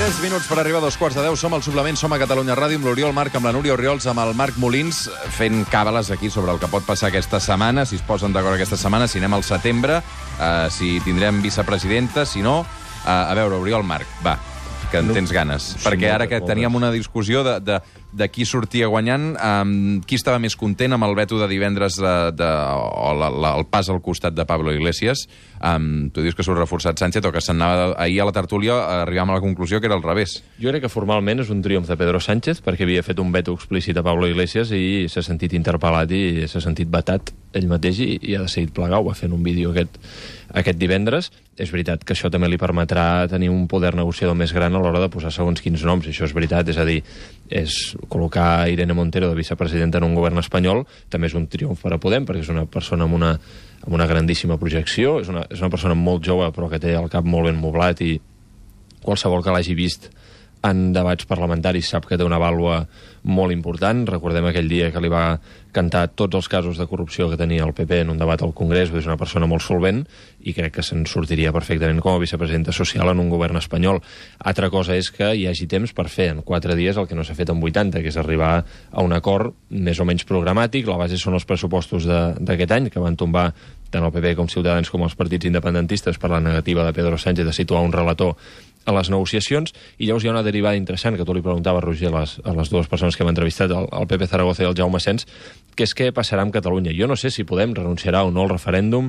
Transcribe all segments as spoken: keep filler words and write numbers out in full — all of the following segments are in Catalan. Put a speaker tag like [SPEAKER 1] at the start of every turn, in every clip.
[SPEAKER 1] Tres minuts per arribar a dos quarts de deu. Som al Suplement, som a Catalunya Ràdio amb l'Oriol Marc, amb la Núria Orriols, amb el Marc Molins, fent càbales aquí sobre el que pot passar aquesta setmana, si es posen d'acord aquesta setmana, si anem al setembre, uh, si tindrem vicepresidenta, si no... Uh, a veure, Oriol Marc, va, que en tens ganes. Sí, perquè ara que teníem una discussió de, de, de qui sortia guanyant, um, qui estava més content amb el veto de divendres de, de, o la, la, el pas al costat de Pablo Iglesias. Um, tu dius que s'ho ha reforçat Sánchez o que s'anava ahir a la tertúlia arribàvem a la conclusió que era al revés.
[SPEAKER 2] Jo crec que formalment és un triomf de Pedro Sánchez perquè havia fet un veto explícit a Pablo Iglesias i s'ha sentit interpel·lat i s'ha sentit vetat ell mateix i, i ha decidit plegar. Ho va fer en un vídeo aquest, aquest divendres. És veritat que això també li permetrà tenir un poder negociador més gran a l'hora de posar segons quins noms. Això és veritat, és a dir, és col·locar Irene Montero de vicepresidenta en un govern espanyol també és un triomf per a Podem, perquè és una persona amb una, amb una grandíssima projecció, és una, és una persona molt jove però que té el cap molt ben moblat i qualsevol que l'hagi vist en debats parlamentaris sap que té una vàlua molt important. Recordem aquell dia que li va cantar tots els casos de corrupció que tenia el P P en un debat al Congrés. És una persona molt solvent i crec que se'n sortiria perfectament com a vicepresidenta social en un govern espanyol. Altra cosa és que hi hagi temps per fer en quatre dies el que no s'ha fet en vuitanta, que és arribar a un acord més o menys programàtic. La base són els pressupostos d'aquest any, que van tombar tant el P P com Ciutadans com els partits independentistes per la negativa de Pedro Sánchez de situar un relator a les negociacions, i llavors hi ha una derivada interessant que tu li preguntaves, Roger, a les, a les dues persones que hem entrevistat, el, el Pepe Zaragoza i el Jaume Sens, que és què passarà amb Catalunya. Jo no sé si Podem renunciarà o no al referèndum,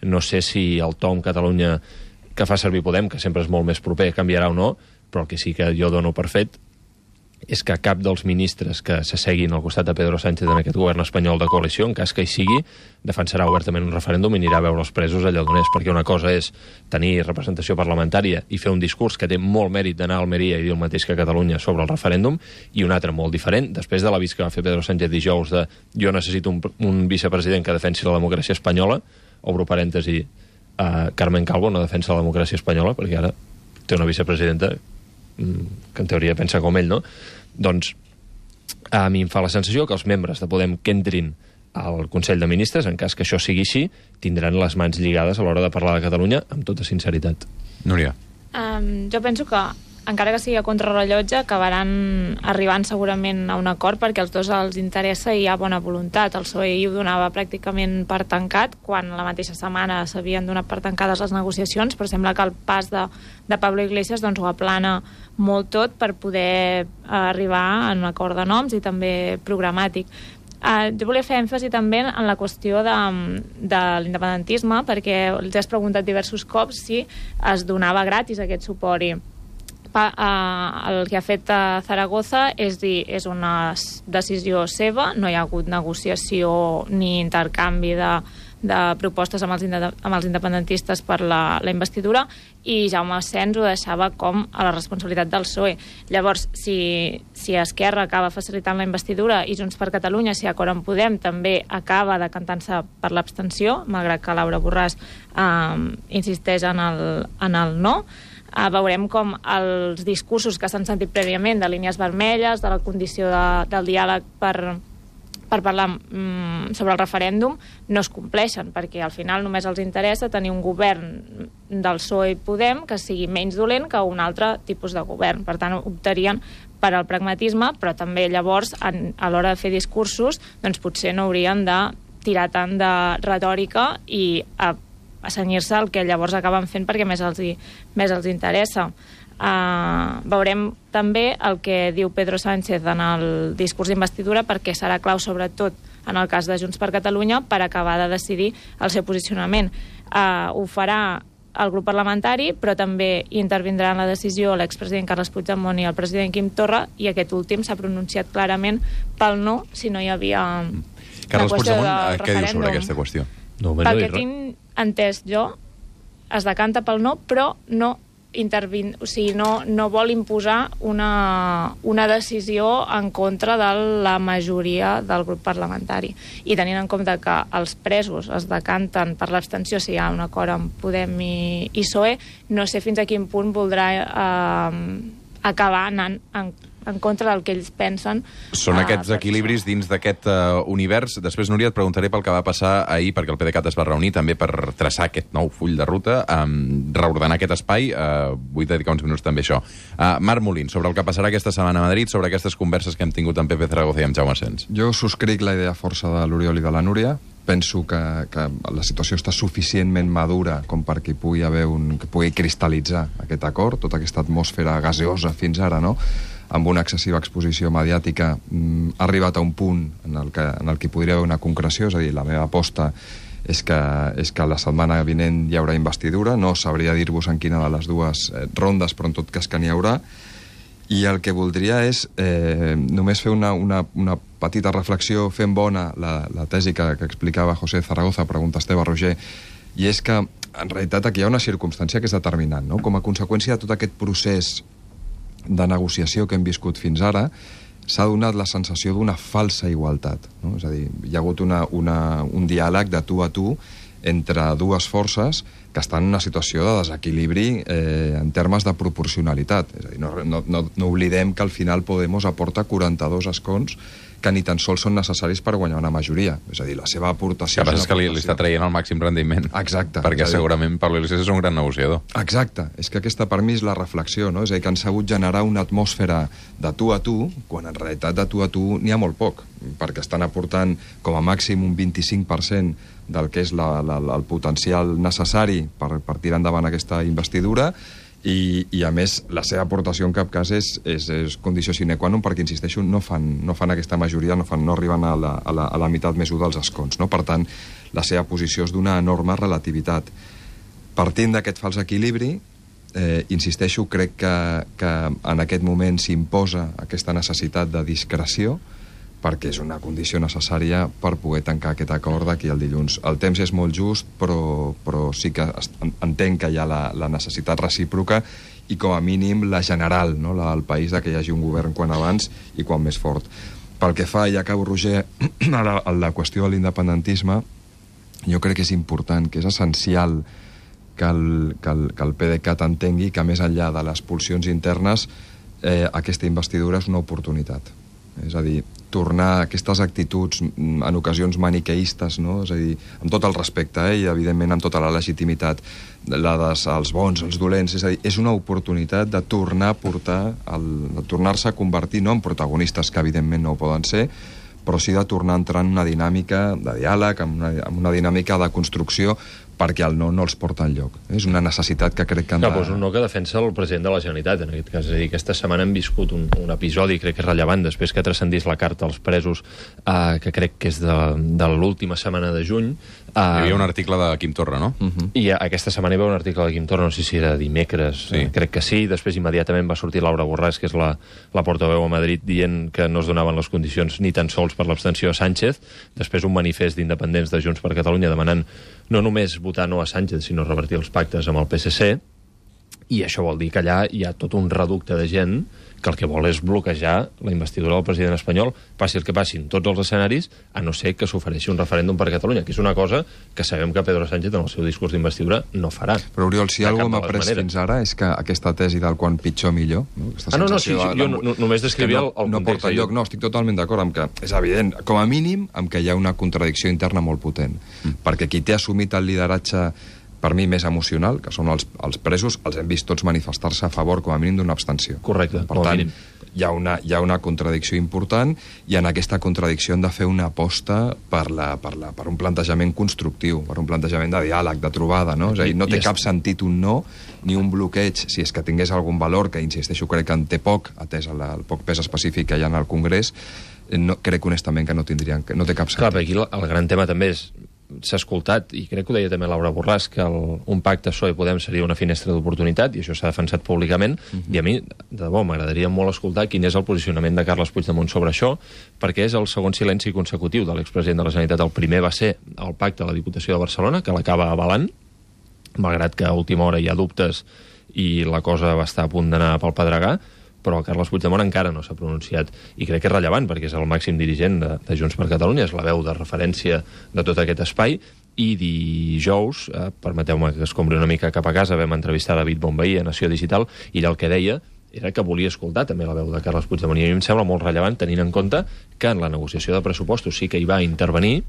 [SPEAKER 2] no sé si el to amb Catalunya que fa servir Podem, que sempre és molt més proper, canviarà o no, però el que sí que jo dono per fet és que cap dels ministres que s'asseguin al costat de Pedro Sánchez en aquest govern espanyol de coalició, en cas que hi sigui, defensarà obertament un referèndum i anirà a veure els presos allà d'on és, perquè una cosa és tenir representació parlamentària i fer un discurs que té molt mèrit d'anar a Almeria i dir el mateix que a Catalunya sobre el referèndum, i un altre molt diferent, després de l'avís que va fer Pedro Sánchez dijous de jo necessito un, un vicepresident que defensi la democràcia espanyola, obro parèntesi, uh, Carmen Calvo no defensa la democràcia espanyola, perquè ara té una vicepresidenta que en teoria pensa com ell, no? Doncs a mi em fa la sensació que els membres de Podem que entrin al Consell de Ministres, en cas que això sigui així, tindran les mans lligades a l'hora de parlar de Catalunya amb tota sinceritat.
[SPEAKER 1] Núria.
[SPEAKER 3] Um, jo penso que encara que sigui a contrarrellotge, acabaran arribant segurament a un acord perquè als dos els interessa i hi ha bona voluntat. El P S O E ho donava pràcticament per tancat, quan la mateixa setmana s'havien donat per tancades les negociacions, però sembla que el pas de, de Pablo Iglesias doncs, ho aplana molt tot per poder arribar a un acord de noms i també programàtic. Uh, jo volia fer èmfasi també en la qüestió de, de l'independentisme, perquè els has preguntat diversos cops si es donava gratis aquest suport i Uh, el que ha fet uh, Zaragoza és dir, és una decisió seva, no hi ha hagut negociació ni intercanvi de, de propostes amb els, amb els independentistes per la, la investidura, i Jaume Sens ho deixava com a la responsabilitat del P S O E. Llavors, si, si Esquerra acaba facilitant la investidura i Junts per Catalunya, si Acord en Podem també acaba decantant-se per l'abstenció, malgrat que Laura Borràs uh, insisteix en el, en el no, Uh, veurem com els discursos que s'han sentit prèviament de línies vermelles, de la condició de, del diàleg per, per parlar mm, sobre el referèndum, no es compleixen, perquè al final només els interessa tenir un govern del P S O E i Podem que sigui menys dolent que un altre tipus de govern. Per tant, optarien per al pragmatisme, però també llavors, en, a l'hora de fer discursos, doncs potser no haurien de tirar tant de retòrica i a a senyir-se el que llavors acaben fent perquè més els, hi, més els interessa. Uh, veurem també el que diu Pedro Sánchez en el discurs d'investidura, perquè serà clau sobretot en el cas de Junts per Catalunya per acabar de decidir el seu posicionament. Uh, ho farà el grup parlamentari, però també intervindrà en la decisió l'expresident Carles Puigdemont i el president Quim Torra, i aquest últim s'ha pronunciat clarament pel no, si no hi havia
[SPEAKER 1] Carles Puigdemont, què diu sobre aquesta qüestió?
[SPEAKER 2] No,
[SPEAKER 3] Pel que tinc entès jo, es decanta pel no, però no intervin... o sigui, no, no vol imposar una, una decisió en contra de la majoria del grup parlamentari. I tenint en compte que els presos es decanten per l'abstenció si hi ha un acord amb Podem i, i P S O E, no sé fins a quin punt voldrà eh, acabar anant en, en contra del que ells pensen.
[SPEAKER 1] Són uh, aquests equilibris dins d'aquest uh, univers. Després, Núria, et preguntaré pel que va passar ahir, perquè el PDeCAT es va reunir també per traçar aquest nou full de ruta, um, reordenar aquest espai. Uh, vull dedicar uns minuts també a això. Uh, Marc Molins, sobre el que passarà aquesta setmana a Madrid, sobre aquestes converses que hem tingut amb Pepe Zaragoza i amb Jaume Sens.
[SPEAKER 4] Jo subscric la idea força de l'Oriol i de la Núria. Penso que, que la situació està suficientment madura com perquè hi pugui haver un, que pugui cristal·litzar aquest acord, tota aquesta atmosfera gaseosa fins ara, no?, amb una excessiva exposició mediàtica, mm, ha arribat a un punt en el, que, en el que podria haver una concreció. És a dir, la meva aposta és que, és que la setmana vinent hi haurà investidura. No sabria dir-vos en quina de les dues eh, rondes, però en tot cas que n'hi haurà. I el que voldria és eh, només fer una, una, una petita reflexió, fent bona la, la tesi que, que explicava José Zaragoza, pregunta Esteve Roger, i és que, en realitat, aquí hi ha una circumstància que és determinant, no? Com a conseqüència de tot aquest procés de negociació que hem viscut fins ara, s'ha donat la sensació d'una falsa igualtat, no? És a dir, hi ha hagut una, una, un diàleg de tu a tu entre dues forces que estan en una situació de desequilibri eh, en termes de proporcionalitat. És a dir, no, no, no, no oblidem que al final Podemos aporta quaranta-dos escons que ni tan sols són necessaris per guanyar una majoria. És a dir, la seva aportació...
[SPEAKER 1] El que passa és que li, li està traient el màxim rendiment.
[SPEAKER 4] Exacte.
[SPEAKER 1] Perquè
[SPEAKER 4] dir...
[SPEAKER 1] segurament Pablo Iglesias és un gran negociador.
[SPEAKER 4] Exacte. És que aquesta per mi és la reflexió, no? És a dir, que han sabut generar una atmosfera de tu a tu, quan en realitat de tu a tu n'hi ha molt poc, perquè estan aportant com a màxim un vint-i-cinc per cent del que és la, la, el potencial necessari per, per tirar endavant aquesta investidura. I, i a més la seva aportació en cap cas és, és, és condició sine qua non, perquè insisteixo, no fan, no fan aquesta majoria, no, fan, no arriben a la, a, la, a la meitat més u dels escons, no? Per tant, la seva posició és d'una enorme relativitat. Partint d'aquest fals equilibri, eh, insisteixo, crec que, que en aquest moment s'imposa aquesta necessitat de discreció, perquè és una condició necessària per poder tancar aquest acord d'aquí al dilluns. El temps és molt just, però, però sí que entenc que hi ha la, la necessitat recíproca i com a mínim la general, no? La del país, de que hi hagi un govern quan abans i quan més fort. Pel que fa, i acabo, Roger, a la, a la qüestió de l'independentisme, jo crec que és important, que és essencial que el, que el, que el PDeCAT entengui que més enllà de les pulsions internes eh, aquesta investidura és una oportunitat. És a dir, tornar a aquestes actituds en ocasions maniqueistes, no? És a dir, amb tot el respecte, eh? I evidentment amb tota la legitimitat, la dels els bons, els dolents, és a dir, és una oportunitat de tornar a portar, el, de tornar-se a convertir, no en protagonistes, que evidentment no ho poden ser, però sí de tornar a entrar en una dinàmica de diàleg, en una, en una dinàmica de construcció, perquè el no no els porta enlloc. És una necessitat que crec que han de...
[SPEAKER 2] Clar, doncs un no que defensa el president de la Generalitat, en aquest cas. És a dir, aquesta setmana hem viscut un, un episodi, crec que és rellevant, després que transcendís la carta als presos, eh, que crec que és de, de l'última setmana de juny. Eh,
[SPEAKER 1] Hi havia un article de Quim Torra, no?
[SPEAKER 2] Uh -huh. I aquesta setmana hi va un article de Quim Torra, no sé si era dimecres, sí. eh, crec que sí. Després immediatament va sortir Laura Borràs, que és la, la portaveu a Madrid, dient que no es donaven les condicions ni tan sols per l'abstenció a Sánchez. Després un manifest d'independents de Junts per Catalunya demanant no només votar no a Sánchez, sinó revertir els pactes amb el P S C, i això vol dir que allà hi ha tot un reducte de gent que el que vol és bloquejar la investidura del president espanyol, passi el que passi en tots els escenaris, a no ser que s'ofereixi un referèndum per Catalunya, que és una cosa que sabem que Pedro Sánchez en el seu discurs d'investidura no farà.
[SPEAKER 4] Però, Oriol, si alguna cosa m'ha pres
[SPEAKER 2] maneres.
[SPEAKER 4] fins ara és que aquesta tesi del quan pitjor millor... No?
[SPEAKER 2] Ah, no, no, sí, sí, jo no, només descrivia
[SPEAKER 4] no,
[SPEAKER 2] el, el
[SPEAKER 4] no
[SPEAKER 2] context.
[SPEAKER 4] porta lloc. No, estic totalment d'acord amb que és evident, com a mínim, amb que hi ha una contradicció interna molt potent. Mm. Perquè qui té assumit el lideratge per mi més emocional, que són els, els presos, els hem vist tots manifestar-se a favor com a mínim d'una abstenció.
[SPEAKER 2] Correcte,
[SPEAKER 4] per tant, hi ha, una, hi ha una contradicció important, i en aquesta contradicció hem de fer una aposta per, la, per, la, per un plantejament constructiu, per un plantejament de diàleg, de trobada, no? És a dir, no té cap sentit un no ni un bloqueig, si és que tingués algun valor, que insisteixo, crec que en té poc, atès el, el poc pes específic que hi ha en el Congrés, no, crec honestament que no tindrien, que no té cap sentit.
[SPEAKER 2] Clar, aquí el, el gran tema també és, s'ha escoltat, i crec que ho deia també Laura Borràs, que el, un pacte P S O E-Podem seria una finestra d'oportunitat, i això s'ha defensat públicament, uh -huh. i a mi, de debò, m'agradaria molt escoltar quin és el posicionament de Carles Puigdemont sobre això, perquè és el segon silenci consecutiu de l'expresident de la Generalitat. El primer va ser el pacte a la Diputació de Barcelona, que l'acaba avalant, malgrat que a última hora hi ha dubtes i la cosa va estar a punt d'anar pel pedregar, però el Carles Puigdemont encara no s'ha pronunciat, i crec que és rellevant perquè és el màxim dirigent de, de Junts per Catalunya, és la veu de referència de tot aquest espai. I dijous, eh, permeteu-me que escombri una mica cap a casa, vam entrevistar David Bonvehí a Nació Digital, i ell el que deia era que volia escoltar també la veu de Carles Puigdemont. I a mi em sembla molt rellevant, tenint en compte que en la negociació de pressupostos sí que hi va intervenir,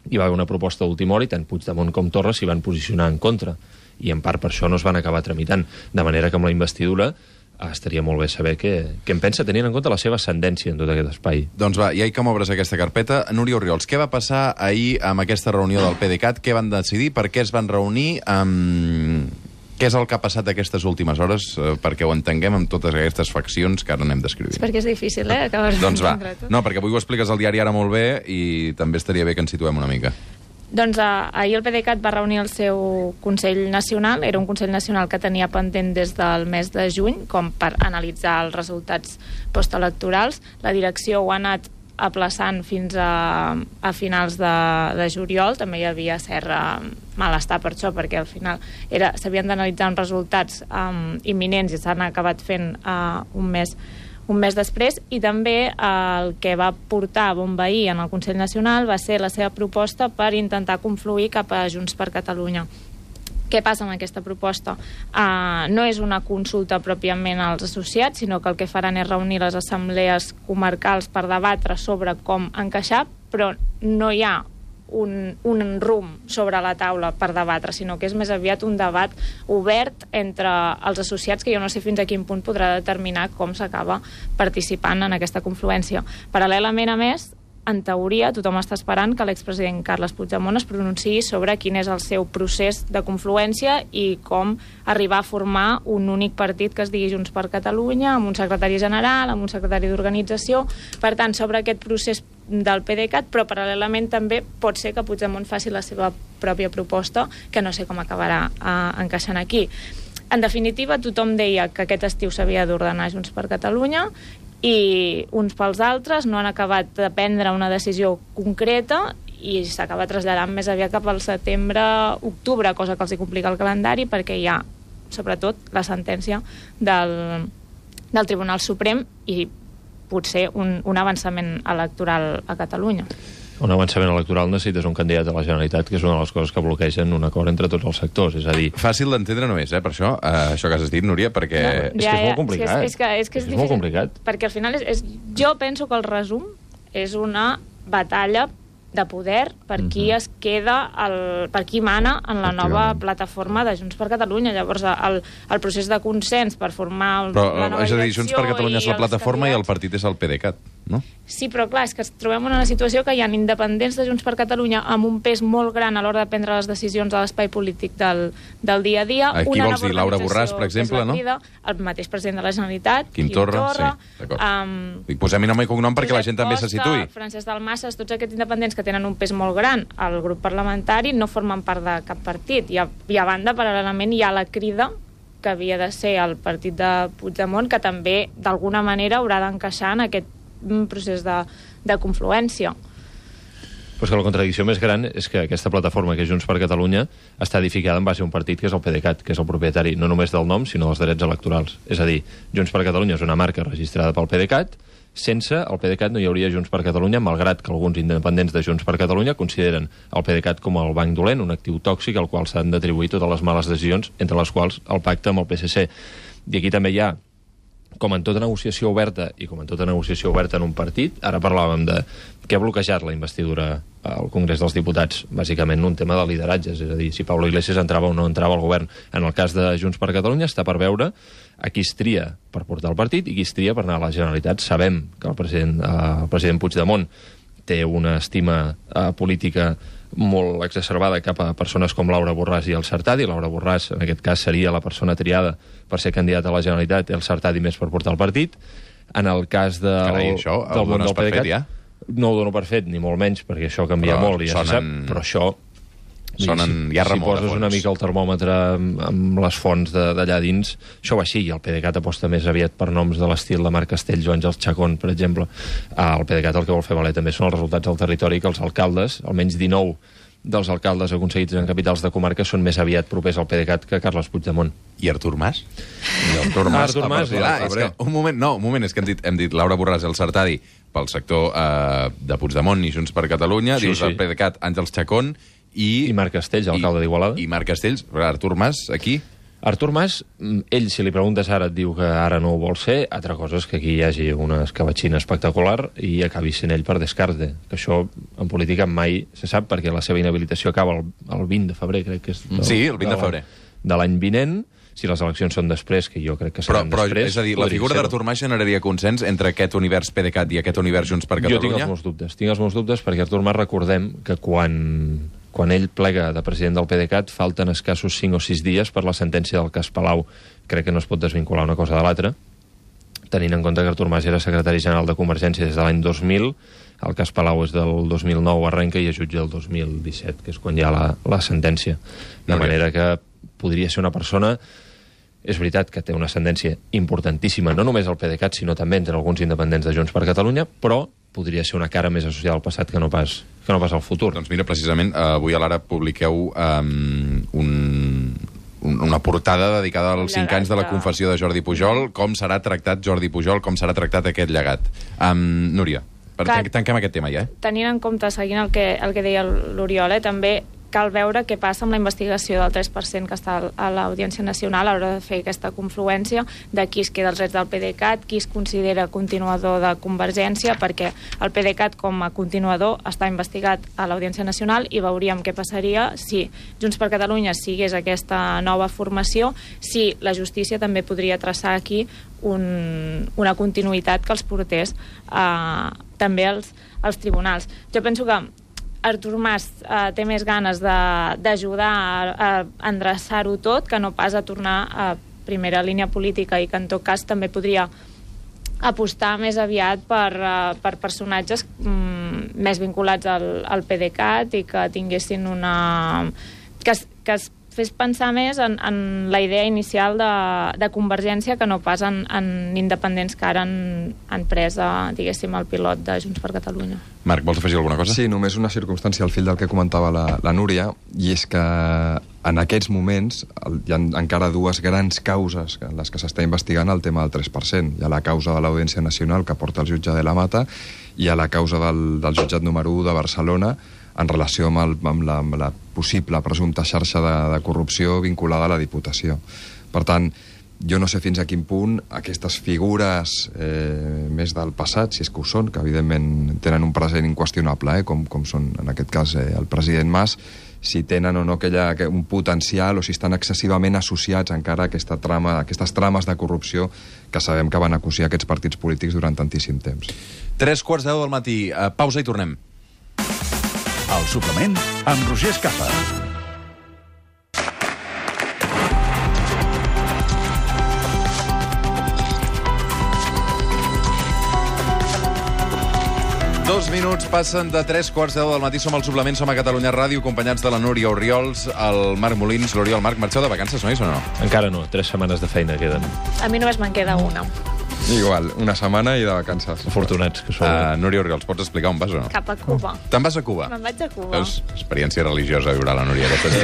[SPEAKER 2] hi va haver una proposta d'última hora i tant Puigdemont com Torra s'hi van posicionar en contra. I en part per això no es van acabar tramitant. De manera que amb la investidura eh, estaria molt bé saber què, què en pensa, tenint en compte la seva ascendència en tot aquest espai.
[SPEAKER 1] Doncs va, i ahir com obres aquesta carpeta, Núria Orriols, què va passar ahir amb aquesta reunió del PDeCAT? Què van decidir? Per què es van reunir? Um, què és el que ha passat aquestes últimes hores? Uh, perquè ho entenguem amb totes aquestes faccions que ara anem descrivint.
[SPEAKER 3] És perquè és difícil, eh? Acabar
[SPEAKER 1] doncs va, no, perquè avui ho expliques al diari ara molt bé i també estaria bé que ens situem una mica.
[SPEAKER 3] Doncs uh, ahir el PDeCAT va reunir el seu Consell Nacional. Era un Consell Nacional que tenia pendent des del mes de juny, com per analitzar els resultats postelectorals. La direcció ho ha anat aplaçant fins a, a finals de, de juliol. També hi havia cert uh, malestar per això, perquè al final era, s'havien d'analitzar uns resultats um, imminents i s'han acabat fent uh, un mes un mes després, i també eh, el que va portar a bombeir en el Consell Nacional va ser la seva proposta per intentar confluir cap a Junts per Catalunya. Què passa amb aquesta proposta? Uh, no és una consulta pròpiament als associats, sinó que el que faran és reunir les assemblees comarcals per debatre sobre com encaixar, però no hi ha un, un rumb sobre la taula per debatre, sinó que és més aviat un debat obert entre els associats, que jo no sé fins a quin punt podrà determinar com s'acaba participant en aquesta confluència. Paral·lelament, a més, en teoria, tothom està esperant que l'expresident Carles Puigdemont es pronunciï sobre quin és el seu procés de confluència i com arribar a formar un únic partit que es digui Junts per Catalunya, amb un secretari general, amb un secretari d'organització. Per tant, sobre aquest procés del PDeCAT, però paral·lelament també pot ser que Puigdemont faci la seva pròpia proposta, que no sé com acabarà eh, encaixant aquí. En definitiva, tothom deia que aquest estiu s'havia d'ordenar Junts per Catalunya, i uns pels altres no han acabat de prendre una decisió concreta i s'acaba traslladant més aviat cap al setembre-octubre, cosa que els hi complica el calendari, perquè hi ha, sobretot, la sentència del, del Tribunal Suprem i potser un, un avançament electoral a Catalunya.
[SPEAKER 2] Un avançament electoral necessites un candidat a la Generalitat, que és una de les coses que bloquegen un acord entre tots els sectors, és a dir...
[SPEAKER 1] Fàcil d'entendre no és, eh, per això, eh, això que has dit, Núria, perquè...
[SPEAKER 2] No, és ja, que és molt complicat.
[SPEAKER 3] És, és, que, és, que és, és, és molt complicat. Perquè al final és, és... Jo penso que el resum és una batalla de poder per qui uh-huh. es queda, el, per qui mana en la nova plataforma de Junts per Catalunya. Llavors, el, el procés de consens per formar el,
[SPEAKER 1] però,
[SPEAKER 3] la nova
[SPEAKER 1] és a dir, Junts per Catalunya és la plataforma i el partit és el PDeCAT, no?
[SPEAKER 3] Sí, però clar, és que ens trobem en una situació que hi ha independents de Junts per Catalunya amb un pes molt gran a l'hora de prendre les decisions a l'espai polític del, del dia a dia.
[SPEAKER 1] Aquí una vols dir Laura Borràs, per exemple, no?
[SPEAKER 3] Crida, el mateix president de la Generalitat,
[SPEAKER 1] Quim, Quim Torra, Torra sí, d'acord. Um, Dic, posem-hi nom i cognom perquè Josep la gent també se situï.
[SPEAKER 3] Francesc Dalmases, tots aquests independents que tenen un pes molt gran al grup parlamentari no formen part de cap partit. I a, i a banda, paral·lelament, hi ha la Crida, que havia de ser el partit de Puigdemont, que també, d'alguna manera, haurà d'encaixar en aquest procés de, de confluència.
[SPEAKER 2] Pues que la contradicció més gran és que aquesta plataforma, que és Junts per Catalunya, està edificada en base a un partit que és el PDeCAT, que és el propietari no només del nom, sinó dels drets electorals. És a dir, Junts per Catalunya és una marca registrada pel PDeCAT. Sense el PDeCAT no hi hauria Junts per Catalunya, malgrat que alguns independents de Junts per Catalunya consideren el PDeCAT com el banc dolent, un actiu tòxic al qual s'han d'atribuir totes les males decisions, entre les quals el pacte amb el P S C. I aquí també hi ha, com en tota negociació oberta i com en tota negociació oberta en un partit, ara parlàvem de què ha bloquejat la investidura al Congrés dels Diputats, bàsicament un tema de lideratges, és a dir, si Pablo Iglesias entrava o no entrava al govern. En el cas de Junts per Catalunya està per veure a qui es tria per portar el partit i qui es tria per anar a la Generalitat. Sabem que el president, eh, el president Puigdemont té una estima eh, política molt exacerbada cap a persones com Laura Borràs i el Sartadi. Laura Borràs, en aquest cas, seria la persona triada per ser candidata a la Generalitat, i el Sartadi més per portar el partit. En el cas de,
[SPEAKER 1] Carai, això,
[SPEAKER 2] del món del PDeCAT,
[SPEAKER 1] ja?
[SPEAKER 2] no ho dono per fet, ni molt menys, perquè això canvia
[SPEAKER 1] però
[SPEAKER 2] molt, i ja
[SPEAKER 1] sonen...
[SPEAKER 2] se sap, però això...
[SPEAKER 1] Sonen
[SPEAKER 2] si,
[SPEAKER 1] ja
[SPEAKER 2] si poses
[SPEAKER 1] fons.
[SPEAKER 2] una mica el termòmetre amb, amb les fonts d'allà dins, això va així, i el PDeCAT aposta més aviat per noms de l'estil de Marc Castells o Àngels Chacón, per exemple. El PDeCAT el que vol fer valer també són els resultats del territori, que els alcaldes, almenys dinou dels alcaldes aconseguits en capitals de comarca, són més aviat propers al PDeCAT que Carles Puigdemont.
[SPEAKER 1] I Artur Mas? I Artur Mas,
[SPEAKER 2] Artur Mas,
[SPEAKER 1] ah, és que, un moment, no, un moment, és que hem dit, hem dit Laura Borràs i el Sartadi pel sector eh, de Puigdemont i Junts per Catalunya, sí, dius sí. El PDeCAT Àngels Chacón i...
[SPEAKER 2] I Marc Castells, alcalde d'Igualada.
[SPEAKER 1] I Marc Castells, Artur Mas, aquí...
[SPEAKER 2] Artur Mas, ell, si li preguntes ara, et diu que ara no ho vol ser. Altra cosa és que aquí hi hagi una escabatxina espectacular i acabi sent ell per descarte. Que això, en política, mai se sap, perquè la seva inhabilitació acaba el, el vint de febrer, crec que és. Del,
[SPEAKER 1] sí, el vint de febrer.
[SPEAKER 2] De l'any vinent. Si les eleccions són després, que jo crec que seran
[SPEAKER 1] però, però,
[SPEAKER 2] després...
[SPEAKER 1] És a dir, la figura d'Artur Mas generaria consens entre aquest univers PDeCAT i aquest univers Junts per Catalunya?
[SPEAKER 2] Jo tinc els meus dubtes. Tinc els meus dubtes perquè Artur Mas, recordem que quan, quan ell plega de president del PDeCAT falten escassos cinc o sis dies per la sentència del cas Palau. Crec que no es pot desvincular una cosa de l'altra, tenint en compte que Artur Mas era secretari general de Convergència des de l'any dos mil, el cas Palau és del dos mil nou, arrenca, i es jutja el dos mil disset, que és quan hi ha la, la sentència. De manera que podria ser una persona... És veritat que té una ascendència importantíssima, no només al PDeCAT, sinó també entre alguns independents de Junts per Catalunya, però podria ser una cara més associada al passat que no pas, que no pas al futur.
[SPEAKER 1] Doncs mira, precisament, avui a l'Ara publiqueu um, un, un, una portada dedicada als cinc anys de la confessió de Jordi Pujol, com serà tractat Jordi Pujol, com serà tractat aquest llegat. Um, Núria, per Clar, tanquem aquest tema ja, eh?
[SPEAKER 3] Tenint en compte, seguint el que, el que deia l'Oriol, eh, també cal veure què passa amb la investigació del tres per cent que està a l'Audiència Nacional a l'hora de fer aquesta confluència de qui es queda els drets del PDeCAT, qui es considera continuador de Convergència, perquè el PDeCAT com a continuador està investigat a l'Audiència Nacional i veuríem què passaria si Junts per Catalunya sigués aquesta nova formació, si la justícia també podria traçar aquí un, una continuïtat que els portés eh, també als, als tribunals. Jo penso que Artur Mas eh, té més ganes d'ajudar a, a endreçar-ho tot que no pas a tornar a primera línia política, i que en tot cas també podria apostar més aviat per, uh, per personatges mm, més vinculats al, al PDeCAT i que tinguessin una... que es, que es fes pensar més en, en la idea inicial de, de Convergència que no pas en, en independents que ara han, han pres, uh, diguéssim, el pilot de Junts per Catalunya.
[SPEAKER 1] Marc, vols afegir alguna cosa?
[SPEAKER 4] Sí, només una circumstància al fil del que comentava la, la Núria, i és que en aquests moments hi ha encara dues grans causes en les que s'està investigant el tema del tres per cent. Hi ha la causa de l'Audiència Nacional que porta el jutge de la Mata i hi ha la causa del, del jutjat número u de Barcelona en relació amb, el, amb, la, amb la possible presumpta xarxa de, de corrupció vinculada a la Diputació. Per tant, jo no sé fins a quin punt aquestes figures eh, més del passat, si és que ho són, que evidentment tenen un present inqüestionable, eh, com, com són en aquest cas eh, el president Mas, si tenen o no aquella, un potencial o si estan excessivament associats encara a aquesta trama, a aquestes trames de corrupció que sabem que van acosir aquests partits polítics durant tantíssim temps.
[SPEAKER 1] Tres quarts de deu del matí. Uh, pausa i tornem.
[SPEAKER 5] El suplement amb Roger Escapa.
[SPEAKER 1] Dos minuts passen de tres quarts de deu del matí. Som al suplement, som a Catalunya Ràdio, acompanyats de la Núria Oriols, el Marc Molins, l'Oriol. Marc, marxeu de vacances, nois, o no?
[SPEAKER 2] Encara no, tres setmanes de feina queden.
[SPEAKER 3] A mi només me'n queda una.
[SPEAKER 4] Igual, una setmana i de vacances.
[SPEAKER 2] Afortunats que som.
[SPEAKER 1] Uh, Núria Oriols, pots explicar on vas o no?
[SPEAKER 3] Cap a Cuba.
[SPEAKER 1] Te'n vas a Cuba?
[SPEAKER 3] Me'n vaig a Cuba.
[SPEAKER 1] Veus? Experiència religiosa viurà la Núria aquesta.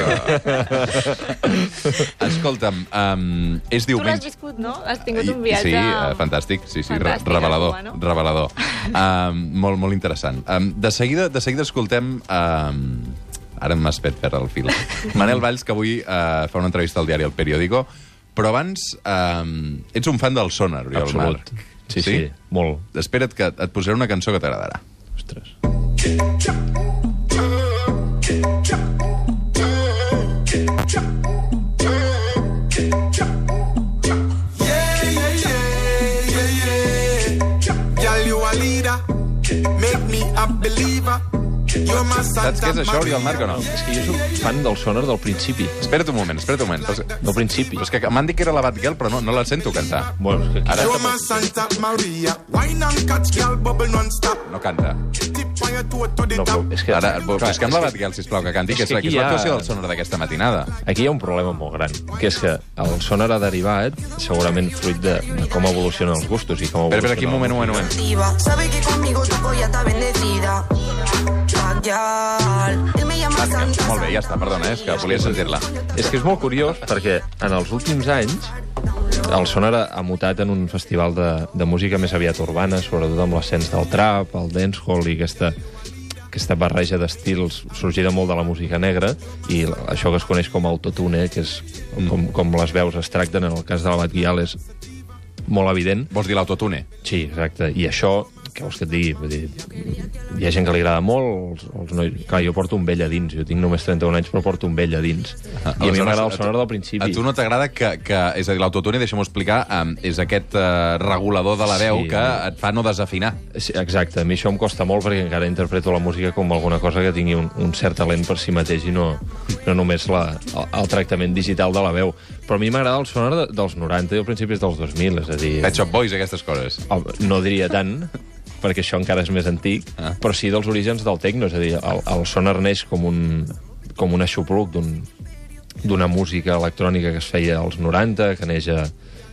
[SPEAKER 1] Escolta'm, um, és
[SPEAKER 3] Tu
[SPEAKER 1] diumenge...
[SPEAKER 3] l'has viscut, no? Has tingut un viatge...
[SPEAKER 1] Sí, uh, fantàstic, sí, sí,
[SPEAKER 3] fantàstic,
[SPEAKER 1] revelador,
[SPEAKER 3] Cuba, no?
[SPEAKER 1] revelador. Um, molt, molt interessant. Um, de, seguida, de seguida escoltem... Um, ara m'has fet perdre el fil. Manel Valls, que avui uh, fa una entrevista al diari El Periódico, però abans um, ets un fan del Sonar, Oriol.
[SPEAKER 2] Absolut.
[SPEAKER 1] Marc.
[SPEAKER 2] Sí, sí, sí, molt.
[SPEAKER 1] Espera't que et posaré una cançó que t'agradarà.
[SPEAKER 2] Ostres.
[SPEAKER 1] Saps què és això, Oriol Marc, o no?
[SPEAKER 2] És que jo soc fan del Sonar del principi.
[SPEAKER 1] Espera't un moment, espera't un moment. Però,
[SPEAKER 2] Del principi.
[SPEAKER 1] però és que m'han dit que era la Batgirl, però no, no la sento cantar.
[SPEAKER 2] Bueno, és que aquí...
[SPEAKER 1] Ara no canta.
[SPEAKER 2] No, però és que...
[SPEAKER 1] Ara,
[SPEAKER 2] Clar,
[SPEAKER 1] busquem la Batgirl, sisplau, que canti, que és,
[SPEAKER 2] que
[SPEAKER 1] la- que
[SPEAKER 2] aquí
[SPEAKER 1] és
[SPEAKER 2] hi ha-
[SPEAKER 1] l'actuació del Sonar d'aquesta matinada.
[SPEAKER 2] Aquí hi ha un problema molt gran, que és que el Sonar ha derivat, segurament fruit de, de com evolucionen els gustos i com
[SPEAKER 1] Espera,
[SPEAKER 2] evoluciona...
[SPEAKER 1] espera, aquí, un moment, un moment, un moment.
[SPEAKER 6] Sabe que conmigo tu polla está bendecida.
[SPEAKER 1] Batgirl. Molt bé, ja està, perdona, eh, és que volia sentir-la.
[SPEAKER 2] És que és molt curiós, perquè en els últims anys el Sonar ha mutat en un festival de, de música més aviat urbana, sobretot amb l'ascens del trap, el dancehall i aquesta aquesta barreja d'estils sorgida molt de la música negra, i això que es coneix com autotune, que és com, com les veus es tracten, en el cas de la Batguial és molt evident.
[SPEAKER 1] Vols dir l'autotune?
[SPEAKER 2] Sí, exacte. I això, què vols que et digui? Vull dir, hi ha gent que li agrada molt, els, els nois... Clar, jo porto un vell a dins, jo tinc només trenta-un anys, però porto un vell a dins. Ah, I a mi m'agrada el sonar del principi.
[SPEAKER 1] A tu no t'agrada que, que... És a dir, l'autotune, deixa'm-ho explicar, um, és aquest uh, regulador de la veu sí, que et fa no desafinar.
[SPEAKER 2] Sí, exacte. A mi això em costa molt perquè encara interpreto la música com alguna cosa que tingui un, un cert talent per si mateix i no, no només la, el, el tractament digital de la veu. Però a mi m'agrada el sonar de, dels noranta i al principis dels dos mil, és a dir...
[SPEAKER 1] Pet Shop Boys, aquestes coses.
[SPEAKER 2] No diria tant, perquè això encara és més antic, ah. però sí dels orígens del techno, és a dir, el, el sonar neix com un, com un aixopluc d'una un, música electrònica que es feia als noranta, que neix a,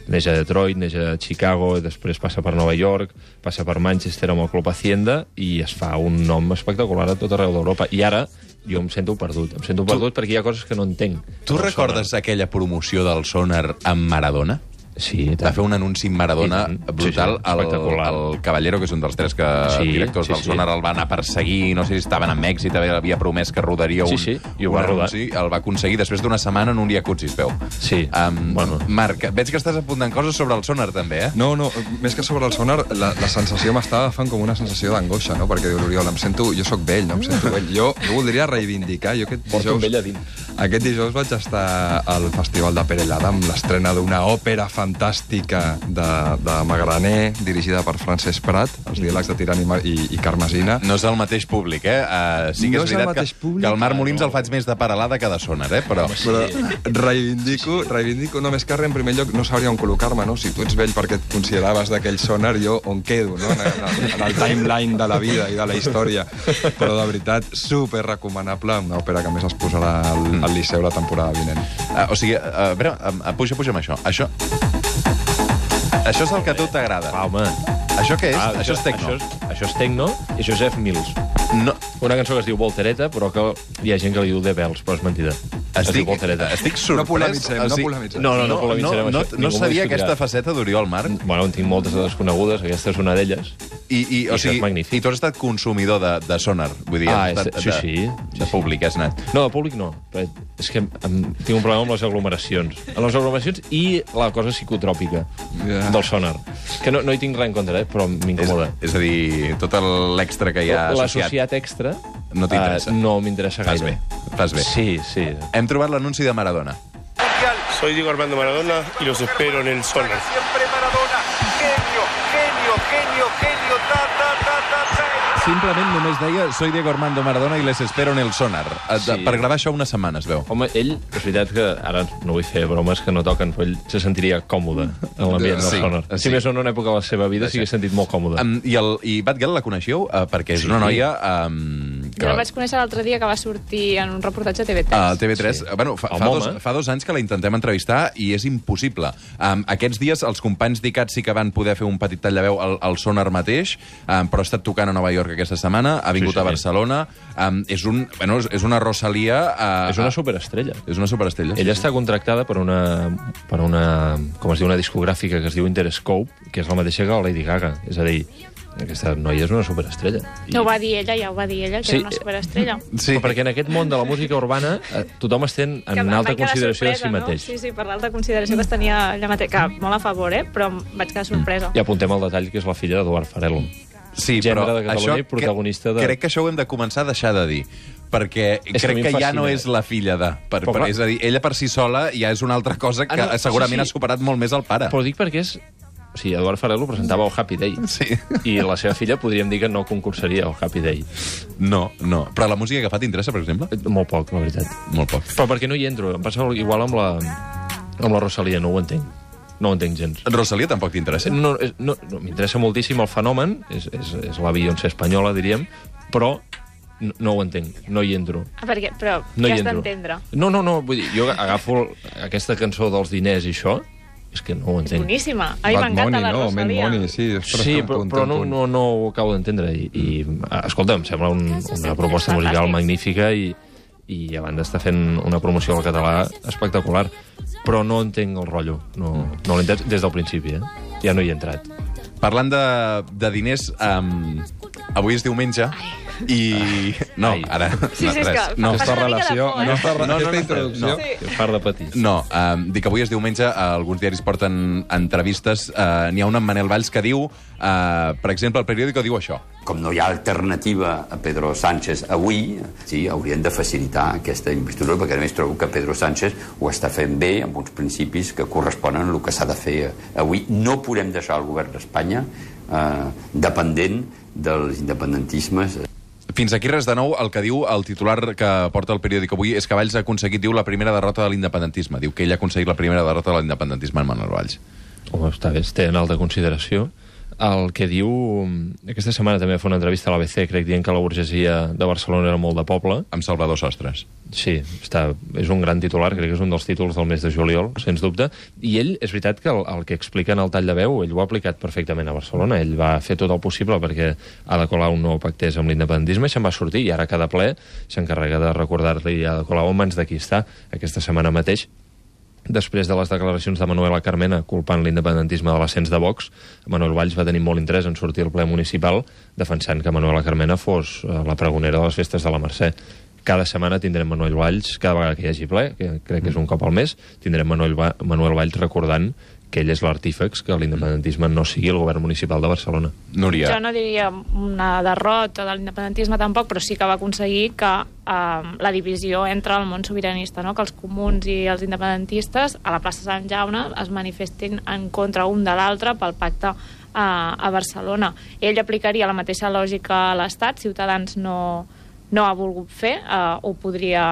[SPEAKER 2] neix a Detroit, neix a Chicago, i després passa per Nova York, passa per Manchester amb el Club Hacienda, i es fa un nom espectacular a tot arreu d'Europa. I ara jo em sento perdut, em sento perdut tu, perquè hi ha coses que no entenc.
[SPEAKER 1] Tu recordes sonar. Aquella promoció del sonar amb Maradona?
[SPEAKER 2] Sí,
[SPEAKER 1] va fer un anunci amb Maradona brutal.
[SPEAKER 2] Sí, sí,
[SPEAKER 1] el, el Caballero, que és un dels tres que, sí, directors sí, del sí. Sonar, el va anar a perseguir, no sé si estaven amb èxit, havia promès que rodaria un,
[SPEAKER 2] sí, sí, i ho
[SPEAKER 1] un
[SPEAKER 2] va
[SPEAKER 1] anunci, el va aconseguir després d'una setmana en un jacuzzi, es veu.
[SPEAKER 2] Sí,
[SPEAKER 1] um,
[SPEAKER 2] bueno.
[SPEAKER 1] Marc, veig que estàs apuntant coses sobre el Sonar, també, eh?
[SPEAKER 4] No, no, més que sobre el Sonar, la, la sensació m'està agafant com una sensació d'angoixa, no? Perquè diu l'Oriol, em sento... Jo sóc vell, no? Em sento vell. Jo, jo voldria reivindicar... Jo aquest
[SPEAKER 2] dijous,
[SPEAKER 4] vell a dins. Aquest dijous vaig estar al Festival de Perelada amb l'estrena d'una òpera fantàstica de, de Magraner, dirigida per Francesc Prat, els diàlegs de Tirant i, i, i Carmesina.
[SPEAKER 1] No és el mateix públic, eh? Uh, sí que
[SPEAKER 4] no
[SPEAKER 1] és veritat que, públic, que el Marc Molins no. el faig més de Perelada que de Sonar, eh? Però,
[SPEAKER 4] sí. però reivindico, reivindico, no més que res, en primer lloc, no sabria on col·locar-me, no? Si tu ets vell perquè et consideraves d'aquell Sonar, jo on quedo, no? En, en, en el timeline de la vida i de la història. Però, de veritat, super recomanable, una òpera que més es posarà al, al Liceu la temporada vinent.
[SPEAKER 1] Uh, o sigui, uh, a veure, uh, puja, puja amb això. Això... Això és el que a tu t'agrada.
[SPEAKER 2] Ah, home.
[SPEAKER 1] Això què és?
[SPEAKER 2] Ah,
[SPEAKER 1] això, això és tecno.
[SPEAKER 2] Això és, això és tecno i això és F. Mills.
[SPEAKER 1] No.
[SPEAKER 2] Una cançó que es diu Voltereta, però que hi ha gent que li diu The Bells, però és mentida.
[SPEAKER 1] Estic, estic sorprès.
[SPEAKER 4] No polemitzem, no polemitzem.
[SPEAKER 2] No, no, no, no,
[SPEAKER 1] no, no, no sabia aquesta faceta d'Oriol, Marc.
[SPEAKER 2] Bueno, en tinc moltes de desconegudes, aquesta és una d'elles.
[SPEAKER 1] I, i, o sigui, I tu has estat consumidor de, de Sonar, vull dir,
[SPEAKER 2] ah,
[SPEAKER 1] estat,
[SPEAKER 2] sí,
[SPEAKER 1] de,
[SPEAKER 2] sí,
[SPEAKER 1] de
[SPEAKER 2] sí,
[SPEAKER 1] públic, has anat.
[SPEAKER 2] No, de públic no. És que em, tinc un problema amb les aglomeracions. Amb les aglomeracions i la cosa psicotròpica yeah. del Sonar. Que no, no hi tinc res en contra, eh, però m'incomoda.
[SPEAKER 1] És, és a dir, tot l'extra que hi ha associat.
[SPEAKER 2] L'associat extra
[SPEAKER 1] no t'interessa.
[SPEAKER 2] Uh, no m'interessa gaire.
[SPEAKER 1] Fas bé, fas bé.
[SPEAKER 2] Sí, sí.
[SPEAKER 1] Hem trobat l'anunci de Maradona.
[SPEAKER 7] Soy Diego Armando Maradona y los espero en el Sonar.
[SPEAKER 8] Siempre Maradona, genio, genio, genio, genio, ta, ta, ta, ta, ta.
[SPEAKER 1] Simplement només deia soy Diego Armando Maradona i les espero en el Sonar. Sí. Per gravar això una setmana, es veu.
[SPEAKER 2] Home, ell, és veritat que ara no vull fer bromes que no toquen, però ell se sentiria còmode en l'ambient del
[SPEAKER 1] sí,
[SPEAKER 2] Sonar.
[SPEAKER 1] Sí.
[SPEAKER 2] Si més o no, en una època de la seva vida s'hi ha sentit molt còmode.
[SPEAKER 1] Um, I, el, i Batgirl la coneixeu? Uh, perquè és sí. una noia... Um,
[SPEAKER 3] que... Jo la vaig conèixer l'altre dia que va sortir en un reportatge a T V tres.
[SPEAKER 1] A uh, T V tres. Sí. Bueno, fa, fa, dos, fa dos anys que la intentem entrevistar i és impossible. Um, aquests dies els companys d'I C A T sí que van poder fer un petit tall de veu al, al Sonar mateix, um, però ha estat tocant a Nova York aquesta setmana, ha vingut sí, sí. a Barcelona. Um, és, un, bueno, és una Rosalia... Uh,
[SPEAKER 2] és una superestrella.
[SPEAKER 1] És una superestrella.
[SPEAKER 2] Ella
[SPEAKER 1] sí,
[SPEAKER 2] està contractada per una, per una, com es diu, una discogràfica que es diu Interscope, que és la mateixa que la Lady Gaga. És a dir, aquesta noia és una superestrella.
[SPEAKER 3] I... No ho va dir ella, ja ho va dir ella, que sí. era una superestrella.
[SPEAKER 2] Sí. Però perquè en aquest món de la música urbana eh, tothom es ten en que alta consideració sorpresa, de si mateix.
[SPEAKER 3] No? Sí, sí, per l'alta consideració que es tenia ella mateix, que molt a favor, eh? Però vaig quedar sorpresa.
[SPEAKER 2] I apuntem el detall que és la filla d'Eduard Farelo.
[SPEAKER 1] Sí,
[SPEAKER 2] gènere
[SPEAKER 1] però
[SPEAKER 2] de Catalunya
[SPEAKER 1] això,
[SPEAKER 2] i protagonista de...
[SPEAKER 1] Crec que això ho hem de començar a deixar de dir, perquè
[SPEAKER 2] és
[SPEAKER 1] crec que, que ja no
[SPEAKER 2] fascina.
[SPEAKER 1] és la filla de... Per, per, és a dir, ella per si sola ja és una altra cosa que ah, no, segurament sí, sí. ha superat molt més el pare.
[SPEAKER 2] Però dic perquè és... O sigui, Eduard Farelo presentava el Happy Day.
[SPEAKER 1] Sí.
[SPEAKER 2] I la seva filla podríem dir que no concursaria al Happy Day.
[SPEAKER 1] No, no. Però la música que fa t'interessa, per exemple?
[SPEAKER 2] Molt poc, la veritat.
[SPEAKER 1] Molt poc.
[SPEAKER 2] Però perquè no hi entro. Em passa igual amb la, amb la Rosalia, no ho entenc. No ho entenc gens.
[SPEAKER 1] Rosalia tampoc t'interessa?
[SPEAKER 2] No, no, no m'interessa moltíssim el fenomen, és, és, és la Beyoncé espanyola, diríem, però no, no ho entenc, no hi entro.
[SPEAKER 3] Ah, perquè, però
[SPEAKER 2] no
[SPEAKER 3] què has d'entendre?
[SPEAKER 2] No, no, no, vull dir, jo agafo aquesta cançó dels diners i això, és que no ho entenc.
[SPEAKER 3] És boníssima. A mi m'encanta la
[SPEAKER 4] no,
[SPEAKER 3] Rosalia.
[SPEAKER 4] Money, sí,
[SPEAKER 2] sí però, però no, no, no ho acabo d'entendre. I, i, escolta, em sembla un, una proposta musical magnífica i, i a banda està fent una promoció al català espectacular. Però no entenc el rotllo. No, no l'he entès des del principi, eh? Ja no hi he entrat.
[SPEAKER 1] Parlant de, de diners, um, avui és diumenge.
[SPEAKER 3] Ai.
[SPEAKER 1] I... No,
[SPEAKER 2] Ai.
[SPEAKER 1] ara...
[SPEAKER 3] Sí, sí, és
[SPEAKER 1] res.
[SPEAKER 3] que
[SPEAKER 1] No,
[SPEAKER 3] fa
[SPEAKER 4] Aquesta
[SPEAKER 3] una mica de
[SPEAKER 4] relació,
[SPEAKER 3] por, eh?
[SPEAKER 4] aquesta,
[SPEAKER 1] No, no,
[SPEAKER 4] aquesta
[SPEAKER 1] no,
[SPEAKER 4] introducció...
[SPEAKER 1] no.
[SPEAKER 3] Sí.
[SPEAKER 2] Que far de petits.
[SPEAKER 1] No, um, dic que avui és diumenge, uh, alguns diaris porten entrevistes, uh, n'hi ha una amb Manel Valls que diu, uh, per exemple, el periòdico diu això.
[SPEAKER 9] Com no hi ha alternativa a Pedro Sánchez avui, sí, haurien de facilitar aquesta investidura, perquè a més trobo que Pedro Sánchez ho està fent bé, amb uns principis que corresponen al que s'ha de fer avui. No podem deixar el govern d'Espanya eh, dependent dels independentismes.
[SPEAKER 1] Fins aquí res de nou. El que diu el titular que porta el periòdic avui és que Valls ha aconseguit, diu, la primera derrota de l'independentisme. Diu que ell ha aconseguit la primera derrota de l'independentisme en Manuel Valls.
[SPEAKER 2] Home, està bé, es té en alta consideració. El que diu... Aquesta setmana també fa una entrevista a l'A B C, crec, dient que la burgesia de Barcelona era molt de poble.
[SPEAKER 1] Amb Salvador Sostres.
[SPEAKER 2] Sí, està, és un gran titular, crec que és un dels títols del mes de juliol, sens dubte. I ell, és veritat que el, el que explica en el tall de veu, ell ho ha aplicat perfectament a Barcelona. Ell va fer tot el possible perquè Ada Colau no pactés amb l'independentisme i se'n va sortir. I ara cada ple s'encarrega de recordar-li a Ada Colau en mans de qui està. Aquesta setmana mateix, després de les declaracions de Manuela Carmena culpant l'independentisme de l'ascens de Vox, Manuel Valls va tenir molt interès en sortir al ple municipal defensant que Manuela Carmena fos la pregonera de les festes de la Mercè. Cada setmana tindrem Manuel Valls, cada vegada que hi hagi ple, que crec que és un cop al mes, tindrem Manuel, Va Manuel Valls recordant que ell és l'artífex que l'independentisme no sigui el govern municipal de Barcelona.
[SPEAKER 1] Núria.
[SPEAKER 3] Jo no diria una derrota de l'independentisme tampoc, però sí que va aconseguir que eh, la divisió entre el món sobiranista, no? Que els comuns i els independentistes a la plaça Sant Jaume es manifestin en contra un de l'altre pel pacte eh, a Barcelona. Ell aplicaria la mateixa lògica a l'Estat, Ciutadans no, no ha volgut fer, eh, ho podria...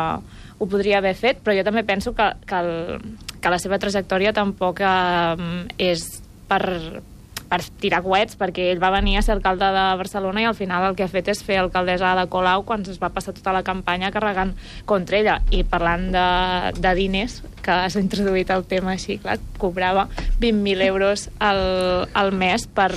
[SPEAKER 3] ho podria haver fet, però jo també penso que, que, el, que la seva trajectòria tampoc eh, és per, per tirar coets, perquè ell va venir a ser alcalde de Barcelona i al final el que ha fet és fer alcaldessa Ada Colau quan es va passar tota la campanya carregant contra ella. I parlant de, de diners, que has introduït el tema així, clar, cobrava vint mil euros al, al mes per,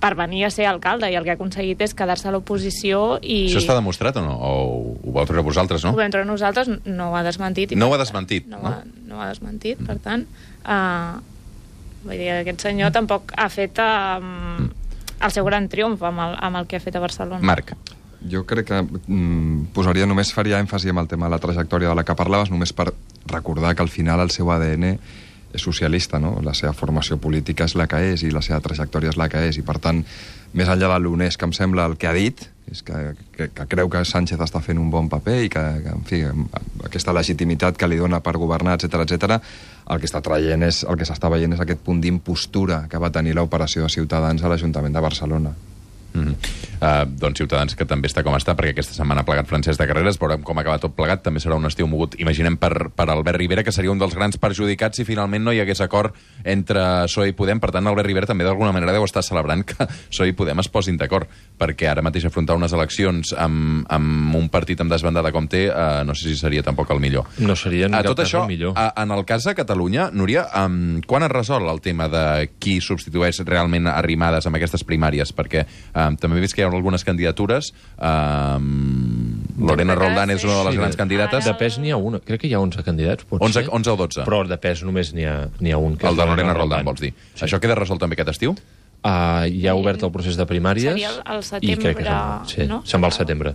[SPEAKER 3] per venir a ser alcalde, i el que ha aconseguit és quedar-se a l'oposició i...
[SPEAKER 1] Això està demostrat o no? O ho vau treure vosaltres, no?
[SPEAKER 3] Ho vam treure nosaltres, no ho ha desmentit. I
[SPEAKER 1] No ho ha
[SPEAKER 3] per-
[SPEAKER 1] desmentit,
[SPEAKER 3] no?
[SPEAKER 1] no?
[SPEAKER 3] Ho ha, no ho ha desmentit, per tant... Uh, vull dir, aquest senyor tampoc ha fet uh, el seu gran triomf amb el, amb el que ha fet a Barcelona.
[SPEAKER 1] Marc.
[SPEAKER 4] Jo crec que mm, posaria només, faria èmfasi amb el tema de la trajectòria de la que parlaves, només per recordar que al final el seu A D N és socialista, no? La seva formació política és la que és i la seva trajectòria és la que és, i per tant, més enllà de l'honest que em sembla el que ha dit, és que, que, que creu que Sánchez està fent un bon paper i que, que en fi, aquesta legitimitat que li dona per governar, etcètera, etcètera, el que està traient és, el que s'està veient és aquest punt d'impostura que va tenir l'operació de Ciutadans a l'Ajuntament de Barcelona.
[SPEAKER 1] Mm-hmm. uh, doncs Ciutadans, que també està com està, perquè aquesta setmana ha plegat Francesc de Carreras, veurem com acaba tot plegat. També serà un estiu mogut, imaginem, per, per Albert Rivera, que seria un dels grans perjudicats si finalment no hi hagués acord entre P S O E i Podem. Per tant, Albert Rivera també d'alguna manera deu estar celebrant que P S O E i Podem es posin d'acord, perquè ara mateix afrontar unes eleccions amb, amb un partit amb desbandada com té, uh, no sé si seria tampoc el millor.
[SPEAKER 2] No seria en
[SPEAKER 1] A
[SPEAKER 2] cap
[SPEAKER 1] tot
[SPEAKER 2] cas
[SPEAKER 1] això,
[SPEAKER 2] el millor.
[SPEAKER 1] a, en el cas de Catalunya, Núria, um, quan es resol el tema de qui substitueix realment Arrimadas amb aquestes primàries? Perquè um, també he vist que hi ha algunes candidatures. Um, Lorena Roldán és una de les
[SPEAKER 2] Sí,
[SPEAKER 1] grans
[SPEAKER 2] de-
[SPEAKER 1] candidates.
[SPEAKER 2] De pes n'hi ha una. Crec que hi ha onze candidats, pot
[SPEAKER 1] onze,
[SPEAKER 2] ser.
[SPEAKER 1] onze o dotze.
[SPEAKER 2] Però de pes només n'hi ha, n'hi ha un. Que
[SPEAKER 1] El
[SPEAKER 2] és
[SPEAKER 1] de Lorena Roldán, vols dir.
[SPEAKER 2] Sí.
[SPEAKER 1] Això queda resolt també aquest estiu?
[SPEAKER 2] Uh, ja ha obert el procés de primàries.
[SPEAKER 3] Seria el- el
[SPEAKER 2] i
[SPEAKER 3] setembre,
[SPEAKER 2] crec que se'n- sí,
[SPEAKER 3] no?
[SPEAKER 2] se'n va al setembre.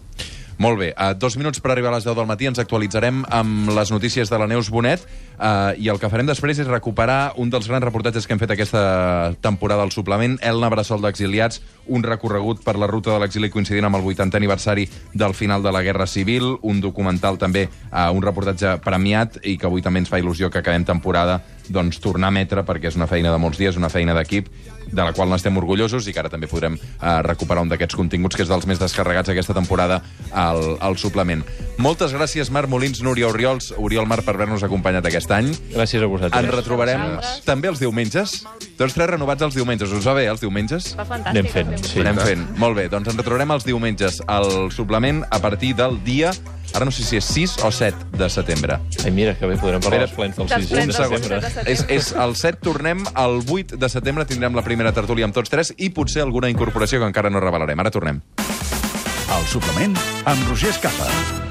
[SPEAKER 1] Molt bé, uh, dos minuts per arribar a les deu del matí, ens actualitzarem amb les notícies de la Neus Bonet, uh, i el que farem després és recuperar un dels grans reportatges que hem fet aquesta temporada al suplement, Elna Bressol d'Exiliats, un recorregut per la ruta de l'exili coincidint amb el vuitantè aniversari del final de la Guerra Civil, un documental també, uh, un reportatge premiat, i que avui també ens fa il·lusió que acabem temporada doncs tornar a emetre, perquè és una feina de molts dies, una feina d'equip, de la qual n'estem orgullosos, i que ara també podrem uh, recuperar un d'aquests continguts, que és dels més descarregats aquesta temporada al, al suplement. Moltes gràcies, Marc Molins, Núria Oriols, Oriol Mar, per haver-nos acompanyat aquest any.
[SPEAKER 2] Gràcies a vosaltres.
[SPEAKER 1] Ens retrobarem
[SPEAKER 3] Gràcies.
[SPEAKER 1] també els diumenges. Tots tres renovats els diumenges. Us va bé, els diumenges?
[SPEAKER 3] Va fantàstic.
[SPEAKER 2] Anem fent,
[SPEAKER 3] el teu
[SPEAKER 2] sí.
[SPEAKER 1] Anem fent. Molt bé, doncs ens retrobarem els diumenges al suplement a partir del dia, ara no sé si és sis o set de setembre.
[SPEAKER 2] Ai, mira, que bé, podrem parlar
[SPEAKER 1] Espera,
[SPEAKER 2] dels plens del
[SPEAKER 3] dels
[SPEAKER 2] sis
[SPEAKER 3] plens
[SPEAKER 2] de
[SPEAKER 3] del
[SPEAKER 2] setembre.
[SPEAKER 3] sis de setembre.
[SPEAKER 1] És, és el set, tornem al vuit de setembre, tindrem la primera tertúlia amb tots tres i potser alguna incorporació que encara no revelarem. Ara tornem.
[SPEAKER 5] El suplement amb Roger Escapa.